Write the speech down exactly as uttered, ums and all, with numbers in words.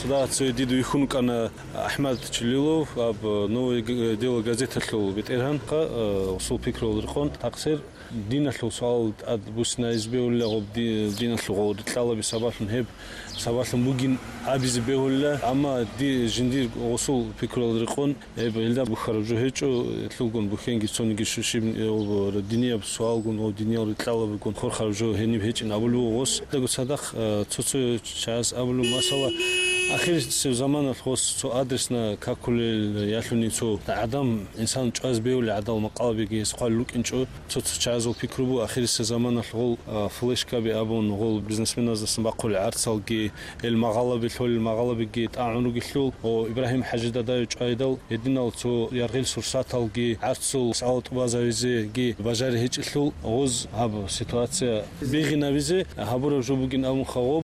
Да, цо дид вихьун вукӀана АхӀмад Чилилов, аб, «Новое г-, дело» газеталъул бетӀергьан, ха, э, усул пикруялда рекъон, такъсир диналъул суал тӀад буссинайзе бегьулила, гъоб ди-, диналъул гъол рикьалаби сабаблъун гьеб сабаблъун бугин абизе бегьулила, амма ди-, жиндир усул пикруялда рекъон, гьеб гьелда бухьараб жо гьечӀо, гьелъулгун бухьенги цониги щиб-, э, об-, динияб суалгун ва диниял рикьалабигун хурхараб жо гьениб гьечӀин абулеб буго гъос. Дагу цадахъ, э, цо-цо чагӀаз абулеб, масала, ахирисеб заманалъ гъос цо адресна какулел ялъуни цо гӀадам, инсан чӀвазе бегьулел гӀадал макъалабиги гьес хъвалел рукӀинчӀо. Цо-цо чагӀазул пикру буго, ахирисеб заманалъ гъол, а, флешкаби абун, гъол бизнесменаздасан бахъулел гӀарцалги, гьел магъалаби лъолел магъалабиги тӀагӀун ругелъул, о, Ибрагьим ХӀажи Дадаев чӀвайдал, гьединал цо яргъил сурсаталги, гӀарцул суал тӀубазавизеги бажари гьечӀелъул, гъоз гьаб ситуация бигъинабизе гьабураб жо бугин абун хагъоб.